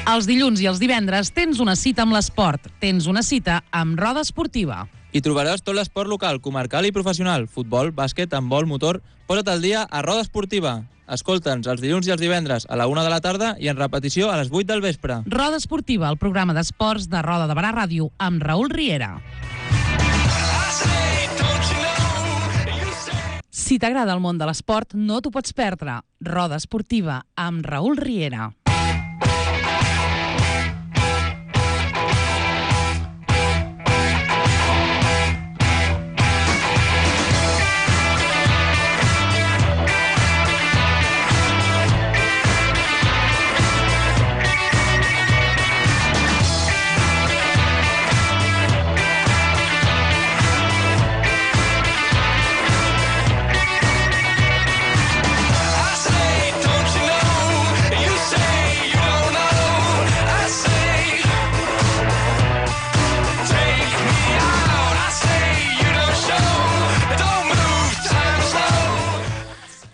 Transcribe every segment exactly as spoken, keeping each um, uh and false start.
Els dilluns i els divendres tens una cita amb l'esport. Tens una cita amb Roda Esportiva. Hi trobaràs tot l'esport local, comarcal i professional. Futbol, bàsquet, handbol, motor... Posa't al dia a Roda Esportiva. Escolta'ns els dilluns i els divendres a la una de la tarda i en repetició a les vuit del vespre. Roda Esportiva, el programa d'esports de Roda de Barà Ràdio, amb Raül Riera. Si t'agrada el món de l'esport, no t'ho pots perdre. Roda Esportiva, amb Raül Riera.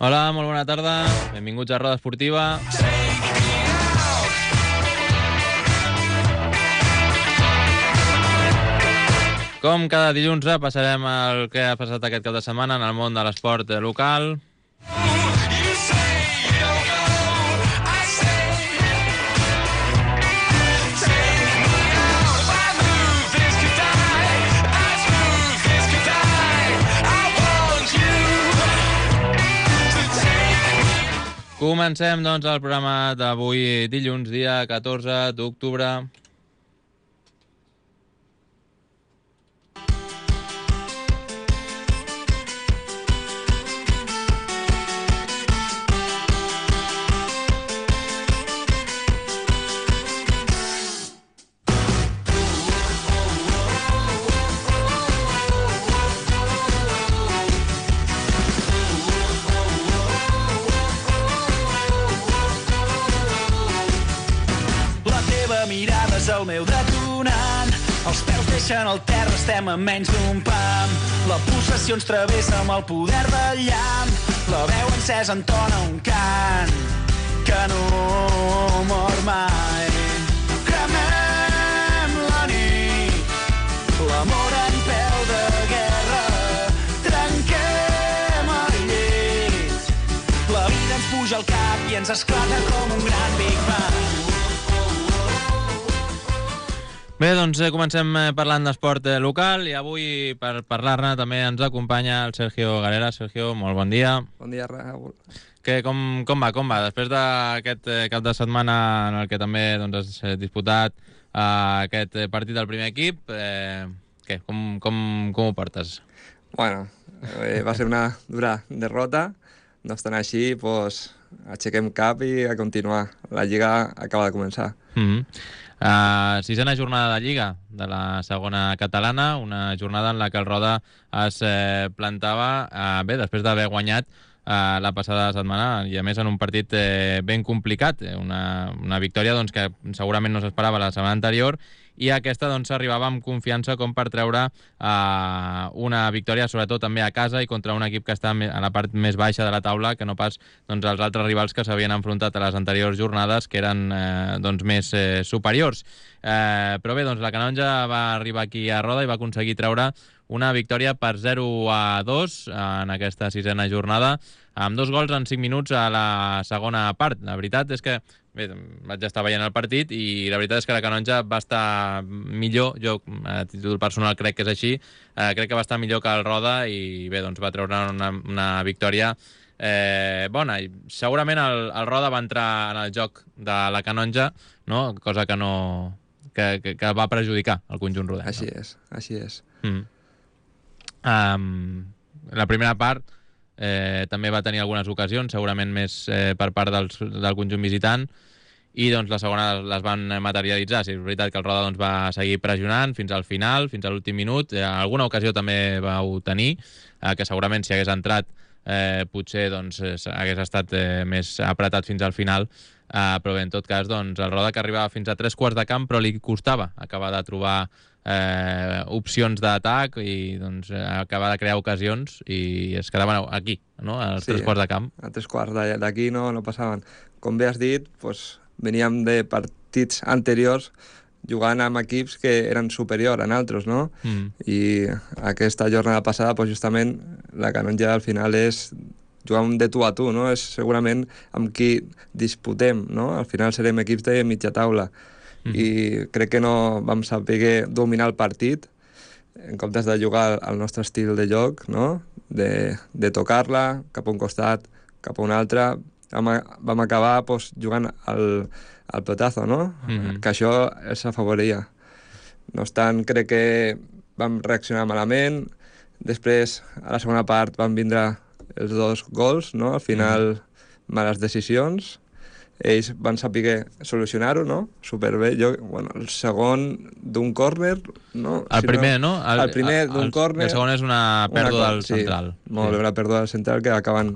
Hola, molt bona tarda. Benvinguts a Roda Esportiva. Com cada dilluns passarem el que ha passat aquest cap de setmana en el món de l'esport local. Comencem, doncs, el programa d'avui, dilluns, dia catorze d'octubre. El meu detonant, els peus deixen el terra, estem a menys d'un pam. La pulsació ens travessa amb el poder del llamp. La veu encesa entona un cant que no mor mai. Cremem la nit, l'amor en peu de guerra. Trenquem el llit, la vida ens puja al cap i ens esclata com un gran Big Bang. Bé, doncs eh, comencem parlant d'esport eh, local i avui per parlar-ne també ens acompanya el Sergio Galera. Sergio, molt bon dia. Bon dia, Raül. Que, com, com va, com va? Després d'aquest eh, cap de setmana en el que també doncs, has eh, disputat eh, aquest partit del primer equip, eh, què, com, com, com ho portes? Bueno, eh, va ser una dura derrota. No obstant així, pues, aixequem cap i a continuar. La Lliga acaba de començar. Mm-hmm. Uh, sisena jornada de Lliga de la segona catalana, una jornada en la que el Roda es eh, plantava uh, bé, després d'haver guanyat uh, la passada setmana i a més en un partit eh, ben complicat, una, una victòria doncs, que segurament no s'esperava la setmana anterior i aquesta doncs arribava amb confiança com per treure uh, una victòria sobretot també a casa i contra un equip que està a la part més baixa de la taula que no pas doncs, els altres rivals que s'havien enfrontat a les anteriors jornades que eren eh, doncs, més eh, superiors. Eh, però bé, doncs la Canonja va arribar aquí a Roda i va aconseguir treure una victòria per zero a dos en aquesta sisena jornada, amb dos gols en cinc minuts a la segona part. La veritat és que bé, vaig estar veient el partit i la veritat és que la Canonja va estar millor, jo a títol personal crec que és així, eh, crec que va estar millor que el Roda i bé, doncs va treure una, una victòria eh, bona. I segurament el, el Roda va entrar en el joc de la Canonja, no? Cosa que no que, que, que va perjudicar el conjunt rodenc. Així no? és, així és. Mm. Um, la primera part eh, també va tenir algunes ocasions, segurament més eh, per part dels, del conjunt visitant, i doncs la segona les van materialitzar. Sí, és veritat que el Roda doncs, va seguir pressionant fins al final, fins a l'últim minut. Eh, alguna ocasió també vau tenir, eh, que segurament si hagués entrat eh, potser doncs, hagués estat eh, més apretat fins al final, eh, però bé, en tot cas doncs, el Roda que arribava fins a tres quarts de camp però li costava acabar de trobar eh, opcions d'atac i doncs, acabar de crear ocasions i es quedaven aquí, no? als Sí, tres quarts de camp. A tres quarts d'aquí no, no passaven. Com bé has dit, pues, veníem de partits anteriors jugant amb equips que eren superiors a nosaltres, no? Mm. I aquesta jornada passada, pues, justament, la Canonja al final és jugar de tu a tu, no? És segurament amb qui disputem, no? Al final serem equips de mitja taula. Mm. I crec que no vam saber dominar el partit en comptes de jugar al nostre estil de joc, no? De, de tocar-la cap a un costat, cap a un altre. Vam, vam acabar pues, jugant al, al pelotazo, no? Mm-hmm. Que això els afavoria. No obstant, crec que vam reaccionar malament. Després, a la segona part, van vindre els dos gols, no? Al final, mm-hmm. males decisions. Ells van saber solucionar-ho, no? Superbé. Jo, bueno, el segon d'un córner, no? El si primer, no? El, el primer d'un córner. El segon és una pèrdua una, del sí, central. Molt bé, sí. Una pèrdua del central que acaben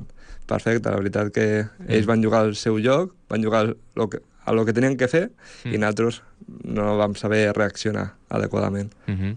perfecte. La veritat que ells mm. van jugar al seu joc, van jugar lo que, a lo que tenien que fer mm. i nosaltres no vam saber reaccionar adequadament. Mm-hmm.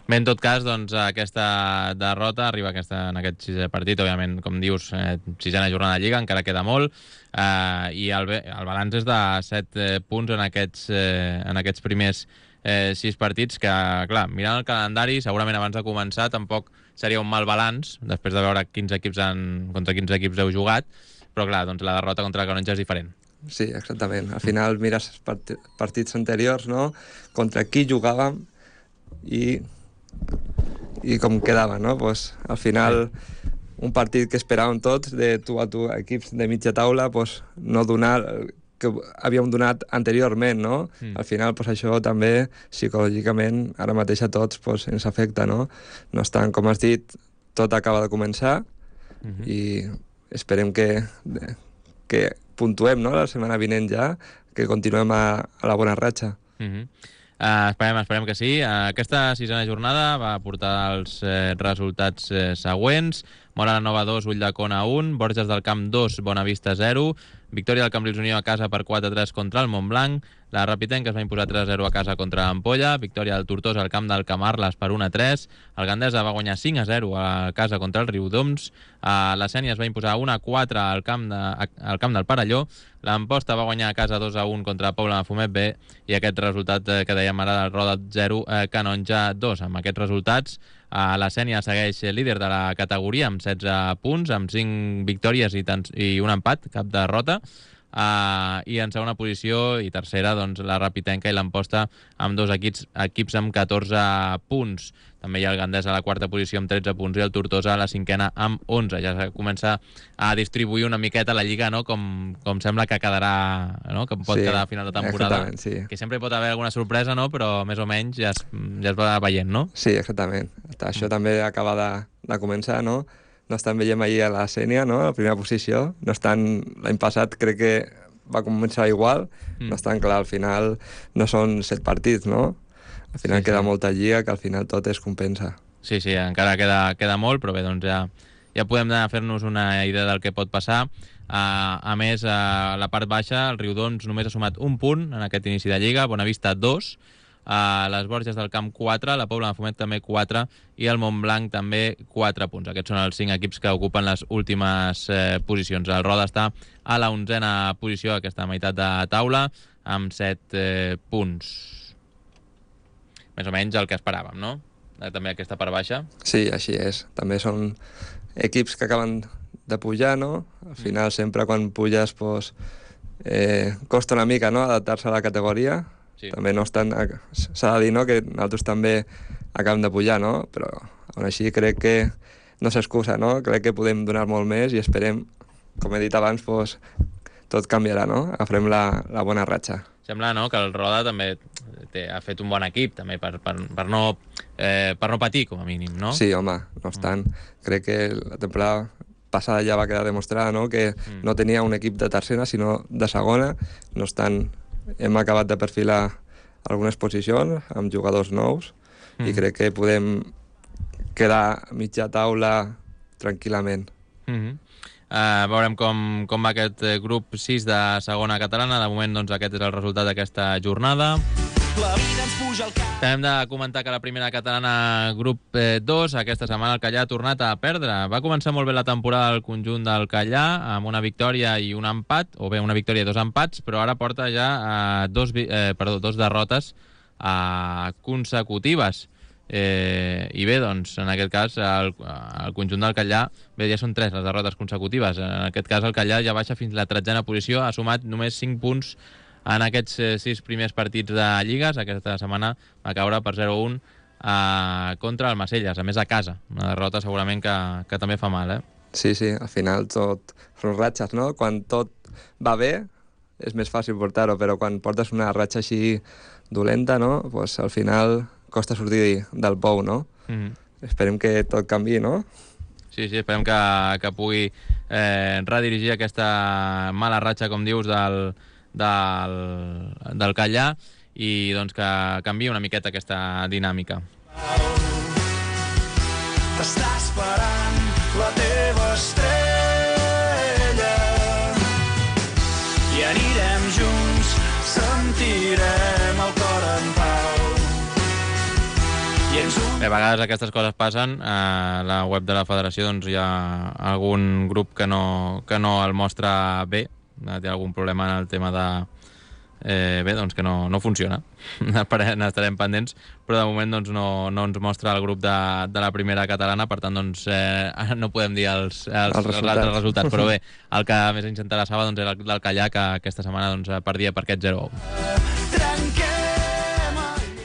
Bé, en tot cas, doncs, aquesta derrota arriba aquesta, en aquest sisè partit, òbviament, com dius, eh, sisena jornada de Lliga, encara queda molt, eh, i el, el balanç és de set eh, punts en aquests, eh, en aquests primers eh, sis partits, que, clar, mirant el calendari, segurament abans de començar tampoc seria un mal balanç, després de veure quins equips han, contra quins equips heu jugat, però, clar, doncs la derrota contra la Canonja és diferent. Sí, exactament. Al final mires part partits anteriors, no?, contra qui jugàvem i i com quedava, no? Pues, al final, un partit que esperàvem tots, de tu a tu, equips de mitja taula, pues, no donar que havíem donat anteriorment, no? Mm. Al final, pues, això també, psicològicament, ara mateix a tots pues, ens afecta, no? No estan, com has dit, tot acaba de començar mm-hmm. i esperem que, que puntuem, no?, la setmana vinent ja, que continuem a, a la bona ratxa. Mm-hmm. Uh, esperem, esperem que sí. Uh, aquesta sisena jornada va portar els eh, resultats eh, següents. Móra la Nova dos, Ulldecona un, Borges del Camp dos, Bonavista zero, victòria del Cambrils Unió a casa per quatre a tres contra el Montblanc, la Rapitenca es va imposar tres a zero a casa contra l'Ampolla, victòria del Tortosa al camp del Camarles per un a tres, el Gandesa va guanyar cinc a zero a casa contra el Riudoms, uh, la Sénia es va imposar un a quatre al camp, de, al camp del Parelló, l'Amposta va guanyar a casa dos a un contra el Pobla de Mafumet B i aquest resultat eh, que dèiem ara del Roda zero, eh, Canonja dos. Amb aquests resultats, eh, la Sénia segueix líder de la categoria amb setze punts, amb cinc victòries i, tants, i un empat, cap derrota. Uh, i en segona posició i tercera doncs, la Rapitenca i l'Amposta amb dos equips, equips amb catorze punts. També hi ha el Gandesa a la quarta posició amb tretze punts i el Tortosa a la cinquena amb onze. Ja se comença a distribuir una miqueta la Lliga, no? com, com sembla que quedarà, no? Que pot sí, quedar a final de temporada. Sí. Que sempre hi pot haver alguna sorpresa, no? Però més o menys ja es, ja es va veient, no? Sí, exactament. Això mm. també acaba de, de començar, no? No estan veiem ahir a la Sénia, no?, a la primera posició. No estan, l'any passat crec que va començar igual. Mm. No estan clar, al final no són set partits, no? Al final sí, queda sí. molta lliga, que al final tot es compensa. Sí, sí, encara queda, queda molt, però bé, doncs ja, ja podem fer-nos una idea del que pot passar. Uh, a més, a la part baixa, el Riudoms només ha sumat un punt en aquest inici de Lliga, Bonavista dos, Uh, les Borges del Camp quatre, la Pobla de Mafumet també quatre i el Montblanc també quatre punts. Aquests són els cinc equips que ocupen les últimes eh, posicions. El Roda està a la onzena posició, aquesta meitat de taula, amb set eh, punts. Més o menys el que esperàvem, no? Eh, també aquesta part baixa. Sí, així és. També són equips que acaben de pujar, no? Al final, sempre quan puges, pues, eh, costa una mica, no?, adaptar-se a la categoria. Sí. També no estan... S'ha de dir, no?, que nosaltres també acabem de pujar, no? Però, aún així, crec que no s'excusa, no? Crec que podem donar molt més i esperem, com he dit abans, pues, tot canviarà, no? Agafarem la, la bona ratxa. Sembla, no?, que el Roda també té, ha fet un bon equip, també, per, per, per, no, eh, per no patir, com a mínim, no? Sí, home, no obstant, mm. crec que la temporada passada ja va quedar demostrada, no?, que mm. no tenia un equip de tercera, sinó de segona, no obstant... Hem acabat de perfilar algunes posicions amb jugadors nous mm. i crec que podem quedar a mitja taula tranquil·lament. Mm-hmm. uh, veurem com, com va aquest grup sis de segona catalana. De moment, doncs, aquest és el resultat d'aquesta jornada. La vida ens puja al cap. Hem de comentar que la primera catalana grup dos, aquesta setmana el Callà ha tornat a perdre. Va començar molt bé la temporada al conjunt del Callà, amb una victòria i un empat, o bé una victòria i dos empats, però ara porta ja eh, dos, eh, perdó, dos derrotes eh, consecutives. Eh, I bé, doncs, en aquest cas, el, el conjunt del Callà, bé, ja són tres les derrotes consecutives. En aquest cas, el Callà ja baixa fins a la tretzena posició, ha sumat només cinc punts en aquests eh, sis primers partits de Lligues. Aquesta setmana va caure per zero a un eh, contra el Macelles, a més a casa. Una derrota segurament que, que també fa mal, eh? Sí, sí, al final tot són ratxes, no? Quan tot va bé és més fàcil portar-ho, però quan portes una ratxa així dolenta, no? Pues al final costa sortir del pou, no? Mm-hmm. Esperem que tot canvi, no? Sí, sí, esperem que, que pugui eh, redirigir aquesta mala ratxa, com dius, del, del, del Callà i doncs que canviï una miqueta aquesta dinàmica. T'està esperant la teva estrella i anirem junts, sentirem el cor en pau. Bé, a vegades aquestes coses passen. A la web de la federació doncs, hi ha algun grup que no, que no el mostra bé, té algun problema en el tema de... Eh, bé, doncs que no, no funciona. N'estarem pendents, però de moment doncs, no, no ens mostra el grup de, de la primera catalana, per tant doncs, eh, no podem dir els, els, els, els altres resultats, però bé, el que més ens interessava doncs, era el del Callà, que aquesta setmana doncs, perdia per aquest zero a u.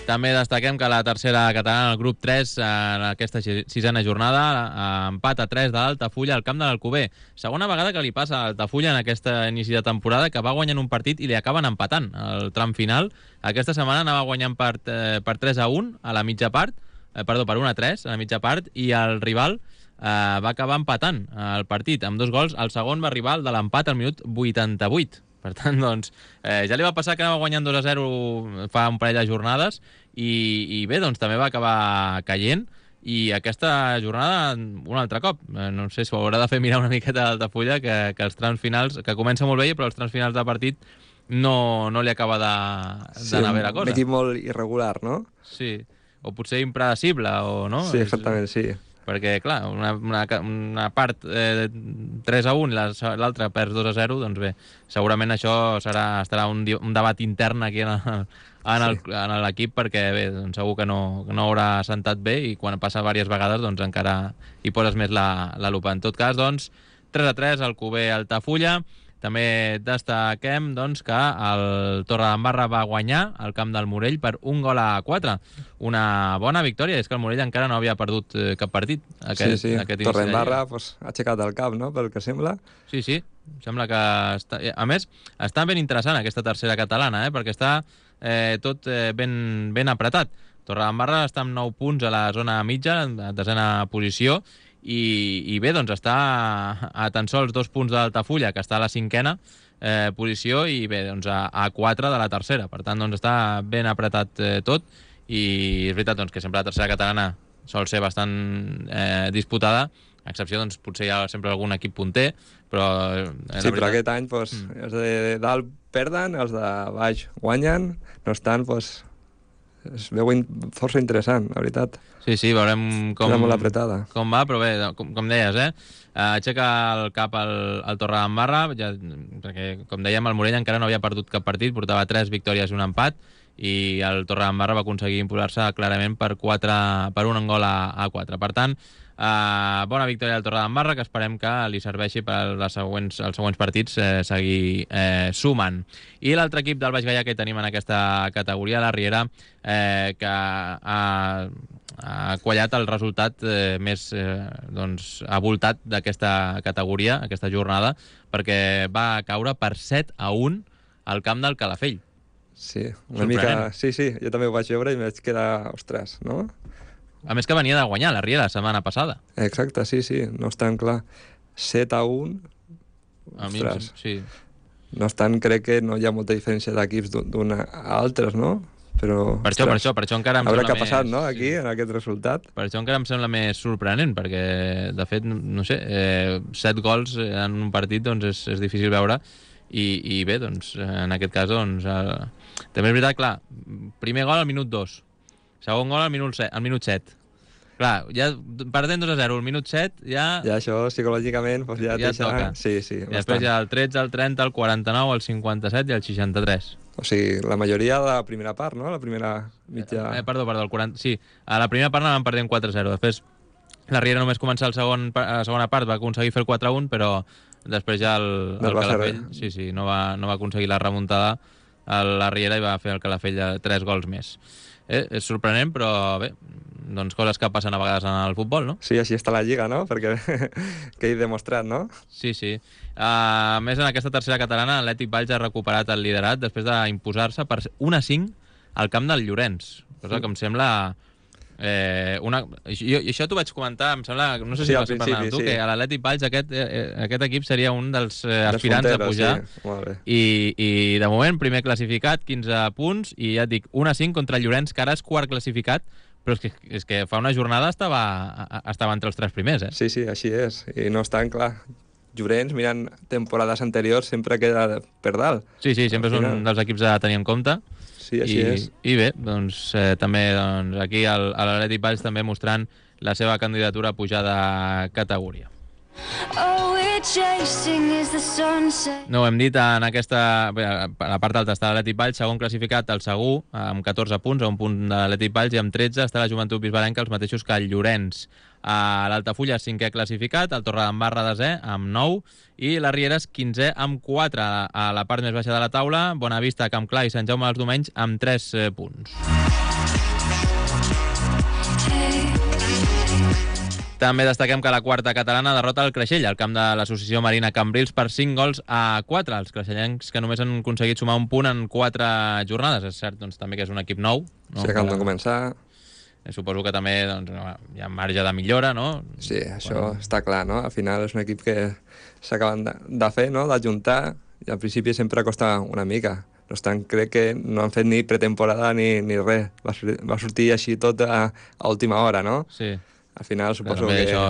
També destaquem que la tercera catalana, el grup tres, en aquesta sisena jornada, empat a tres de l'Altafulla al camp de l'Alcover. Segona vegada que li passa a l'Altafulla en aquest inici de temporada, que va guanyant un partit i li acaben empatant al tram final. Aquesta setmana anava guanyant per, eh, per tres a un a la mitja part, eh, perdó, per un a tres a la mitja part, i el rival eh, va acabar empatant el partit amb dos gols. El segon va arribar el de l'empat al minut vuitanta-vuit. Per tant, doncs, eh, ja li va passar que anava guanyant dos a zero fa un parell de jornades i, i bé, doncs també va acabar caient i aquesta jornada un altre cop. Eh, no sé si ho haurà de fer mirar una miqueta d'Altafulla, que, que els trams finals, que comença molt bé, però els trams finals de partit no, no li acaba d'anar sí, bé la cosa. Un equip molt irregular, no? Sí, o potser impredecible, o no? Sí, exactament, sí. Perquè, clar, una, una, una part eh, tres a un i l'altra perds dos a zero, doncs bé, segurament això serà, estarà un, un debat intern aquí en el, en el, sí. en l'equip, perquè bé, doncs segur que no, no haurà sentat bé i quan passa diverses vegades doncs encara hi poses més la, la lupa. En tot cas, doncs, tres a tres, Alcover Altafulla. També destaquem doncs, que el Torredembarra va guanyar al camp del Morell per un gol a quatre. Una bona victòria, és que el Morell encara no havia perdut cap partit. Aquest, sí, sí, aquest Torredembarra pues, ha aixecat el cap, no?, pel que sembla. Sí, sí, sembla que... Està... A més, està ben interessant aquesta tercera catalana, eh? Perquè està eh, tot eh, ben, ben apretat. Torredembarra està amb nou punts a la zona mitja, a desena posició, I, i bé, doncs està a tan sols dos punts d'Altafulla, que està a la cinquena eh, posició, i bé, doncs a, a quatre de la tercera. Per tant, doncs està ben apretat eh, tot, i és veritat doncs, que sempre la tercera catalana sol ser bastant eh, disputada, a excepció, doncs, potser hi ha sempre algun equip punter, però... Eh, sí, veritat... però aquest any, doncs, mm. els de dalt perden, els de baix guanyen, no estan, doncs... es veu força interessant, la veritat. Sí, sí, veurem com, molt apretada. Com va, però bé, com, com deies, eh? Aixeca el cap al, al Torredembarra, ja, perquè, com dèiem, el Morell encara no havia perdut cap partit, portava tres victòries i un empat, i el Torredembarra va aconseguir imposar-se clarament per, quatre, per un gol a, a quatre. Per tant, Uh, bona victòria del Torredembarra, que esperem que li serveixi per les següents, els següents partits eh, seguir eh, sumant. I l'altre equip del Baix Gaià que tenim en aquesta categoria, la Riera, eh, que ha, ha quallat el resultat eh, més eh, doncs, avoltat d'aquesta categoria, aquesta jornada, perquè va caure per set a un al camp del Calafell. Sí, una mica... Sí, sí, jo també ho vaig veure i em vaig quedar... Ostres, no? A més que venia de guanyar la Riera la setmana passada. Exacte, sí, sí, no és tan clar. set a un, a mi, sí. No és tant, crec que no hi ha molta diferència d'equips d'un a altres, no? Però, per això, per això, per això encara em sembla més... què ha passat, no?, aquí, sí. en aquest resultat. Per això encara em sembla més sorprenent, perquè, de fet, no sé, eh, set gols en un partit doncs és, és difícil veure, i, i bé, doncs, en aquest cas, doncs, eh, també és veritat, clar, primer gol al minut dos, segon gol al minut set, al minut set. Clar, ja perdent dos a zero, al minut set, ja... Ja això, psicològicament, doncs ja, ja deixa... toca. Sí, sí, I després hi ha el tretze, el trenta, el quaranta-nou, el cinquanta-set i el seixanta-tres. O sigui, la majoria de la primera part, no? La primera mitja... Eh, perdó, perdó, el quaranta... Sí, a la primera part anàvem perdent quatre a zero. Després, la Riera només començar el segon, la segona part, va aconseguir fer el quatre a un, però després ja el, el Calafell sí, sí, no, va, no va aconseguir la remuntada a la Riera i va fer el Calafell tres gols més. Eh, és sorprenent, però bé, doncs coses que passen a vegades en el futbol, no? Sí, així està la Lliga, no? Perquè que he demostrat, no? Sí, sí. Uh, a més, en aquesta tercera catalana, l'Atlètic Valls ha recuperat el liderat després d'imposar-se per un a cinc al camp del Llorenç, cosa que em sembla... Eh, una... jo, I això t'ho vaig comentar, em sembla, no sé si sí, vas parlar amb tu, sí. Que a l'Atlètic Valls aquest, eh, aquest equip seria un dels eh, aspirants a pujar, sí. I, i de moment primer classificat, quinze punts, i ja et dic, un a cinc contra el Llorenç, que ara és quart classificat, però és que, és que fa una jornada estava, estava entre els tres primers, eh? Sí, sí, així és, i no estan, clar, Llorenç, mirant temporades anteriors, sempre queda per dalt. Sí, sí, sempre és un dels equips a tenir en compte. Sí, així I, és. I bé, doncs, eh, també doncs, aquí el, l'Atlètic Valls també mostrant la seva candidatura a pujar de categoria. Oh, we're chasing is the sunset. No ho hem dit, en aquesta... Bé, a la part alta està l'Atlètic Valls, segon classificat el Segur, amb catorze punts, a un punt de l'Atlètic Valls, i amb tretze està la Joventut Bisbalenca, els mateixos que el Llorenç. A l'Altafulla, cinquè classificat, el Torredembarra desè, amb nou, i la Riera és quinzè amb quatre. A la part més baixa de la taula, Bonavista, Campclar i Sant Jaume dels Domenys amb tres eh, punts. També destaquem que la quarta catalana derrota el Creixell, al camp de l'Associació Marina Cambrils, per cinc gols a quatre. Els creixellencs que només han aconseguit sumar un punt en quatre jornades. És cert, doncs, també que és un equip nou. No? Sí, que han de començar... Suposo que també doncs, hi ha marge de millora, no? Sí, això bueno. Està clar, no? Al final és un equip que s'acaben de, de fer, no? D'ajuntar, i al principi sempre costa una mica. No estan, crec que no han fet ni pretemporada ni, ni res. Va, va sortir així tot a, a última hora, no? Sí. Al final suposo que això...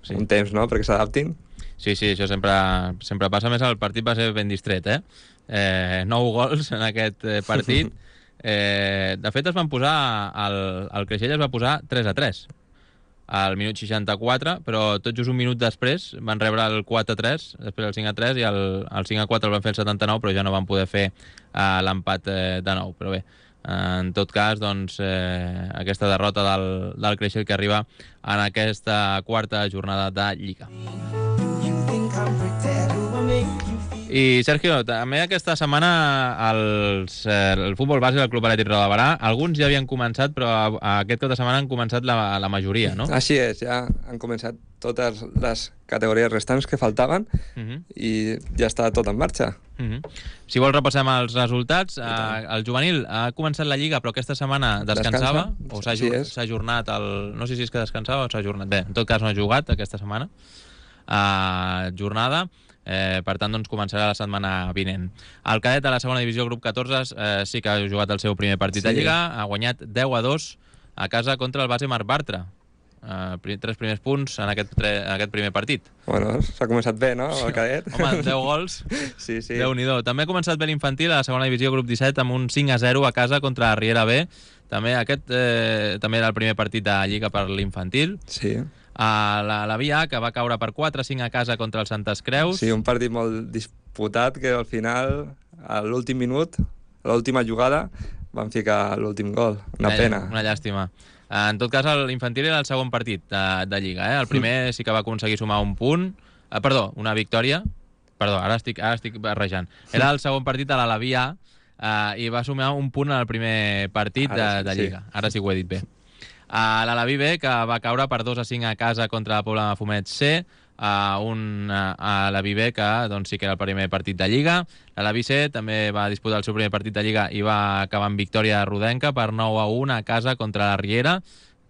sí. Un temps, no?, perquè s'adaptin. Sí, sí, això sempre, sempre passa. Més el partit va ser ben distret, eh? eh nou gols en aquest partit. Eh, de fet, es van posar... El, el Creixell es va posar tres a tres al minut seixanta-quatre, però tot just un minut després van rebre el quatre a tres, després el cinc a tres, i el, el cinc a quatre el van fer el setanta-nou, però ja no van poder fer eh, l'empat eh, de nou. Però bé, en tot cas, doncs, eh, aquesta derrota del, del Creixell que arriba en aquesta quarta jornada de Lliga. I, Sergio, també aquesta setmana els, eh, el futbol base del Club Atlètic Roda de Barà, alguns ja havien començat, però a, a aquest cap de setmana han començat la, la majoria, no? Així és, ja han començat totes les categories restants que faltaven uh -huh. i ja està tot en marxa. Uh -huh. Si vols repassem els resultats. Eh, el juvenil ha començat la Lliga, però aquesta setmana descansava, Descansa. o s'ha sí ajornat el... No sé si és que descansava o s'ha ajornat. Bé, en tot cas no ha jugat aquesta setmana. Uh, jornada... Eh, per tant, doncs, començarà la setmana vinent. El cadet de la segona divisió, grup catorze, eh, sí que ha jugat el seu primer partit sí. de Lliga, ha guanyat deu a dos a casa contra el base Marc Bartra. Eh, tres primers punts en aquest, tre, en aquest primer partit. Bueno, s'ha començat bé, no?, el cadet. Home, deu gols, sí, sí. Déu-n'hi-do. També ha començat bé l'infantil a la segona divisió, grup disset, amb un cinc a zero a casa contra la Riera B. També aquest eh, també era el primer partit de Lliga per l'infantil. Sí. A la, la Via, que va caure per quatre a cinc a casa contra el Santes Creus. Sí, un partit molt disputat que al final, a l'últim minut, a l'última jugada, van ficar l'últim gol. Una eh, pena. Una llàstima. En tot cas, l'infantil era el segon partit de, de Lliga. Eh? El primer sí que va aconseguir sumar un punt. Eh, perdó, una victòria. Perdó, ara estic, ara estic barrejant. Era el segon partit a l'Alaví A eh, i va sumar un punt en el primer partit de, de Lliga. Sí. Ara sí que ho he dit bé. A l'Alaví B, que va caure per dos a cinc a casa contra la Pobla de Mafumet C, a un a l'Alaví B, que doncs, sí que era el primer partit de Lliga. L'Alaví C també va disputar el seu primer partit de Lliga i va acabar en victòria rodenca per nou a un a casa contra la Riera.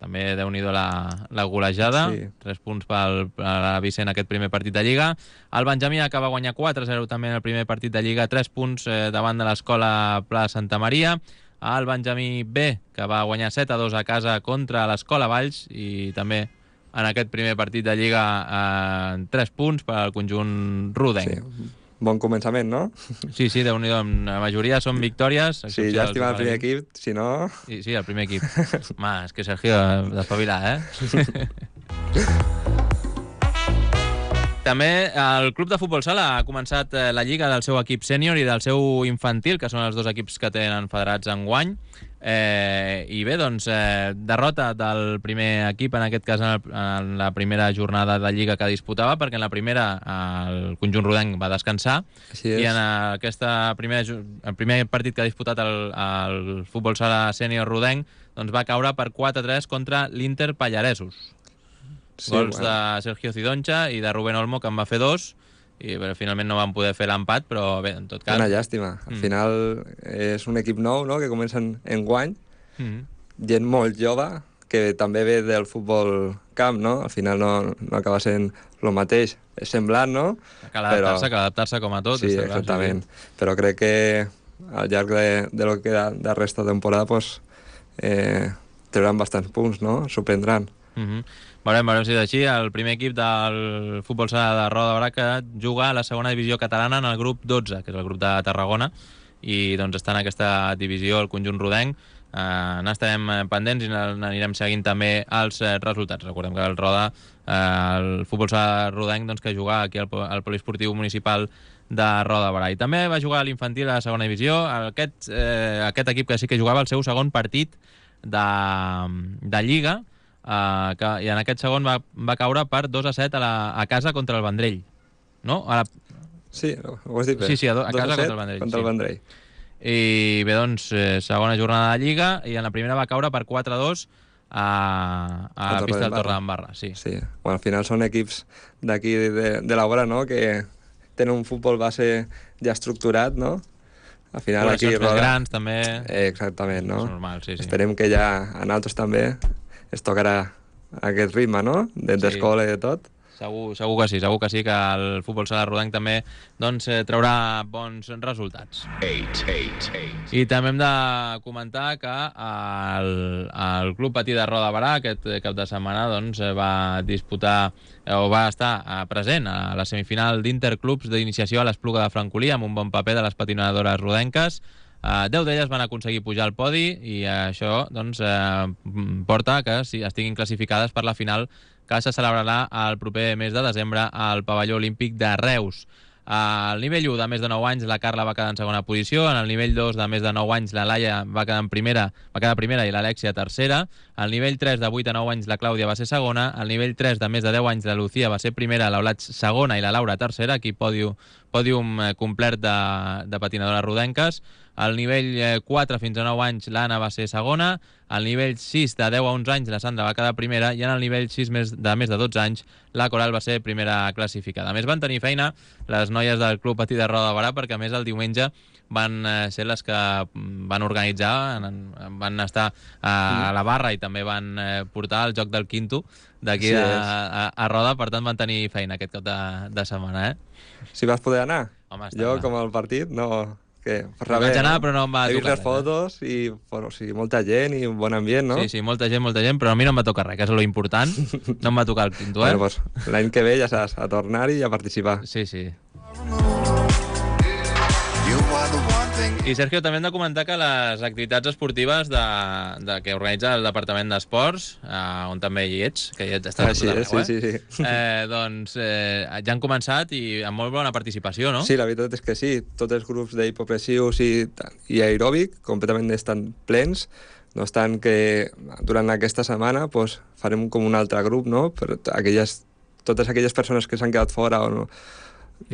També, déu-n'hi-do, la, la golejada. Sí. Tres punts per l'Alaví C en aquest primer partit de Lliga. El Benjamí acaba a guanyar quatre a zero també en el primer partit de Lliga, tres punts eh, davant de l'Escola Pla Santa Maria. El Benjamí B, que va guanyar set a dos a casa contra l'Escola Valls, i també en aquest primer partit de Lliga eh, tres punts per al conjunt rodenc. Sí. bon començament, no? Sí, sí, déu-n'hi-do. La majoria són victòries. Sí, llàstima el primer equip, si no... Sí, sí, el primer equip. Home, és que Sergio, d'espavilar, eh? També el Club de Futbol Sala ha començat la lliga del seu equip sènior i del seu infantil, que són els dos equips que tenen federats enguany. Eh, I bé, doncs, eh, derrota del primer equip, en aquest cas en, el, en la primera jornada de lliga que disputava, perquè en la primera el conjunt rodenc va descansar. Així és. I en aquesta primera, el primer partit que ha disputat el, el Futbol Sala sènior rodenc doncs va caure per quatre a tres contra l'Inter Pallaresos. Sí, gols bueno. de Sergio Cidoncha i de Rubén Olmo, que en va fer dos, i però, finalment no van poder fer l'empat, però bé, en tot cas... Una llàstima. Al mm. final és un equip nou, no?, que comencen en guany, mm. gent molt jove, que també ve del futbol camp, no? Al final no, no acaba sent el mateix. És semblant, no? Cal adaptar-se, cal adaptar-se com a tot. Sí, exactament. Sí. Però crec que al llarg de, de lo que queda de resta de temporada pues, eh, trauran bastants punts, no? Sorprendran. Mhm. Veurem, veurem si és així. El primer equip del Futbol Sala de Roda de Barà que juga a la segona divisió catalana en el grup dotze, que és el grup de Tarragona, i doncs està en aquesta divisió el conjunt rodenc. Uh, n'estarem pendents i n'anirem seguint també els uh, resultats. Recordem que el Roda, uh, el Futbol Sala rodenc, doncs, que juga aquí al, al Poliesportiu Municipal de Roda de Barà. I també va jugar a l'infantil a la segona divisió. Aquest, uh, aquest equip que sí que jugava el seu segon partit de, de Lliga, Uh, que, i en aquest segon va, va caure per dos a set a, la, a casa contra el Vendrell, no? A la... Sí, ho has dit bé. Sí, sí, a, do, a casa contra el Vendrell. Contra el Vendrell. Sí. I bé, doncs, eh, segona jornada de Lliga, i en la primera va caure per quatre a dos a, a, a la pista del Torredembarra. Sí. Sí. Bueno, al final són equips d'aquí de, de la vora, no?, que tenen un futbol base ja estructurat, no? Al final aquí... Més grans, també. Eh, exactament, no? És normal, sí, sí. Esperem que ja a nosaltres també es tocarà aquest ritme, no?, d'escola i de tot. Segur, segur que sí, segur que sí, que el Futbol Sala rodenc també doncs, eh, traurà bons resultats. Eight, eight, eight. I també hem de comentar que el, el Club Patí de Roda de Barà aquest cap de setmana doncs, va disputar o va estar present a la semifinal d'Interclubs d'iniciació a l'Espluga de Francolí amb un bon paper de les patinadores rodenques. Uh, deu d'elles van aconseguir pujar al podi i uh, això doncs, uh, porta que sí, estiguin classificades per la final que se celebrarà el proper mes de desembre al pavelló olímpic de Reus. Uh, al nivell u de més de nou anys la Carla va quedar en segona posició, en el nivell dos de més de nou anys la Laia va quedar en primera, va quedar primera i l'Alexia tercera, al nivell tres de vuit a nou anys la Clàudia va ser segona, al nivell tres de més de deu anys la Lucía va ser primera, l'Eulat segona i la Laura tercera, aquí pòdium, pòdium complet de, de patinadores rodenques. Al nivell quatre fins a nou anys l'Anna va ser segona, al nivell sis de deu a onze anys la Sandra va quedar primera i en el nivell sis de més de dotze anys la Coral va ser primera classificada. A més van tenir feina les noies del Club Patí de Roda de Barà perquè a més el diumenge van ser les que van organitzar, van estar a la barra i també van portar el joc del quinto d'aquí sí, a, a Roda, per tant van tenir feina aquest cap de, de setmana. Eh? Si vas poder anar? Home, jo, clar. Com al partit, no... Que, vaig anar, no? Però no em va He tocar vist les fotos eh? i bueno, o sigui, molta gent i un bon ambient, no? Sí, sí, molta gent, molta gent, però a mi no em va tocar res, que és lo important. No em va tocar el quinto, eh? Bueno, pues, l'any que ve ja saps, a tornar-hi i a participar. Sí, sí. I, Sergio, també hem de comentar que les activitats esportives de, de, que organitza el Departament d'Esports, eh, on també hi ets, que hi ets, estàs ah, sí, a tot arreu, sí, sí, sí. eh? eh, doncs eh, ja han començat i amb molt bona participació, no? Sí, la veritat és que sí. Tots els grups d'hipopressius i, i aeròbic completament estan plens. No obstant que durant aquesta setmana pues, farem com un altre grup, no? Per aquelles, totes aquelles persones que s'han quedat fora o no,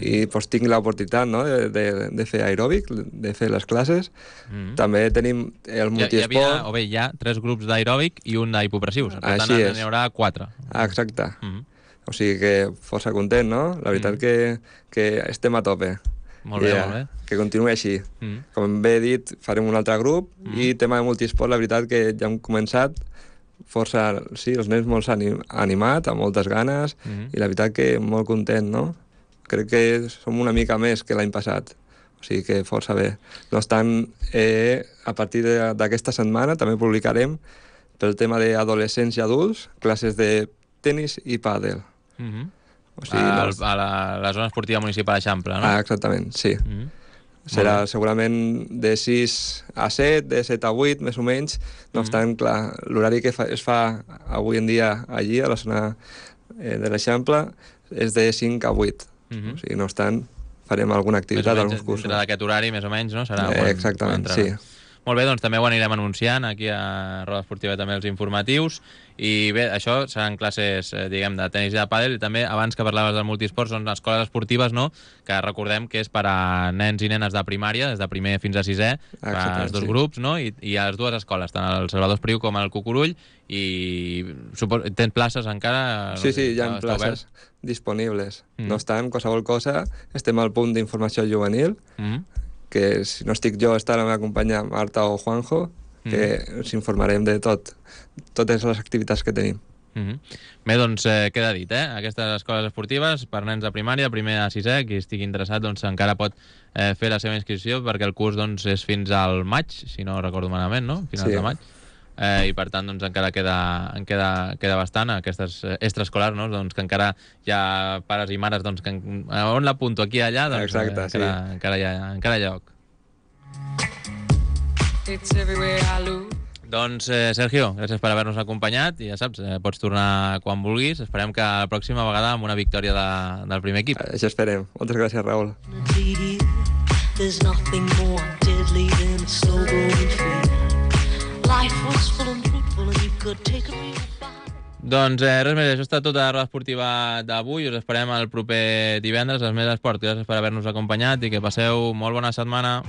i pues, tinc l'oportunitat, no? de, de, de fer aeròbic, de fer les classes. Mm-hmm. També tenim el multiesport. Hi havia, o bé, hi ha tres grups d'aeròbic i un d'hipopressius. Per tant, n'hi haurà quatre. Ah, exacte. Mm-hmm. O sigui que força content, no? La veritat mm-hmm. que, que estem a tope. Molt bé, I, molt bé. Que continuï així. Mm-hmm. Com bé he dit, farem un altre grup mm-hmm. i tema de multiesport, la veritat que ja hem començat força, sí, els nens molt anim, animat, amb moltes ganes mm-hmm. i la veritat que molt content, no? Crec que som una mica més que l'any passat, o sigui que força bé. No obstant, eh, a partir d'aquesta setmana també publicarem pel tema d'adolescents i adults classes de tenis i pàdel. Mm-hmm. O sigui, a, no... a la, la zona esportiva municipal d'Eixample, no? Ah, exactament, sí. Mm-hmm. Serà segurament de sis a set, de set a vuit, més o menys. No obstant, mm-hmm. clar, l'horari que fa, es fa avui en dia allí, a la zona eh, de l'Eixample, és de cinc a vuit. Mm-hmm. O sigui, no obstant, farem alguna activitat, alguns cursos. Dintre d'aquest horari, més o menys, no? Serà eh, quan, exactament, quan sí. Molt bé, doncs també ho anirem anunciant aquí a Roda Esportiva, també els informatius. I bé, això seran classes, eh, diguem, de tenis i de pàdel, i també, abans que parlaves del multisport, són escoles esportives, no?, que recordem que és per a nens i nenes de primària, des de primer fins a sisè, els dos sí. grups, no?, I, i a les dues escoles, tant el Salvador Espriu com el Cucurull, i supos... tens places encara? Sí, sí, hi ha places disponibles. Mm. No obstant, qualsevol cosa, estem al punt d'informació juvenil, mm. que si no estic jo, està la meva companya Marta o Juanjo, que mm. ens informarem de tot, totes les activitats que tenim. Mm-hmm. Bé, doncs eh, queda dit, eh? Aquestes escoles esportives per nens de primària, primer a sisè, qui estigui interessat doncs encara pot eh, fer la seva inscripció, perquè el curs doncs, és fins al maig, si no recordo malament, no? Finals sí. de maig. Eh, i per tant doncs, encara queda, en queda, queda bastant aquestes extraescolars, no? Doncs, que encara hi ha pares i mares doncs, que on l'apunto, aquí i allà, doncs, exacte, eh, encara, sí. encara, hi ha, encara hi ha lloc. Doncs, eh, Sergio, gràcies per haver-nos acompanyat i ja saps, eh, pots tornar quan vulguis. Esperem que la pròxima vegada amb una victòria de, del primer equip. Eh, això esperem. Moltes gràcies, Raül. There's nothing more deadly than a slow growing fear. Life was full and fruitful and you could take a real bite. Doncs eh, res més, això està tota la roda esportiva d'avui. Us esperem el proper divendres als Més Esport. Gràcies per haver-nos acompanyat i que passeu molt bona setmana.